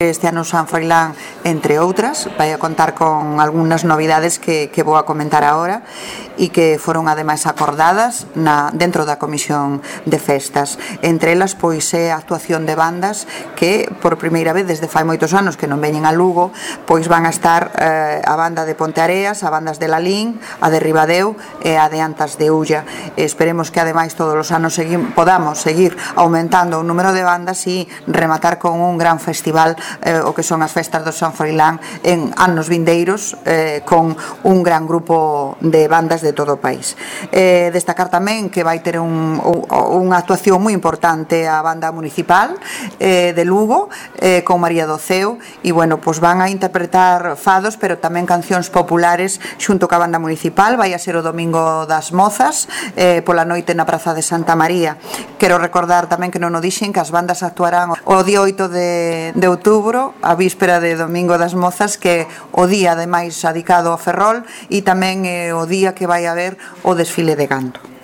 este ano San Froilán, entre outras. Vai a contar con algunhas novidades que vou a comentar agora e que foron ademais acordadas dentro da Comisión de Festas. Entre elas, pois, é a actuación de bandas que por primeira vez desde fai moitos anos que non veñen a Lugo, pois van a estar a banda de Ponteareas, a bandas de Lalín, a de Ribadeo e a de Antas de Ulla. Esperemos que ademais todos os anos podamos seguir aumentando o número de bandas e rematar con un gran festival, o que son as festas do San Froilán en anos vindeiros, con un gran grupo de bandas de todo o país. Destacar tamén que vai ter unha actuación moi importante a banda municipal de Lugo, con María do Ceo, e bueno, pois van a interpretar fados, pero tamén cancións populares xunto ca banda municipal. Vai a ser o Domingo das Mozas, pola noite na Praza de Santa María. Quero recordar tamén que non o dixen que as bandas actuarán o día 8 de outubro, a víspera de Domingo das Mozas, que o día ademais dedicado ao Ferrol, e tamén o día que vai haber o desfile de Gando.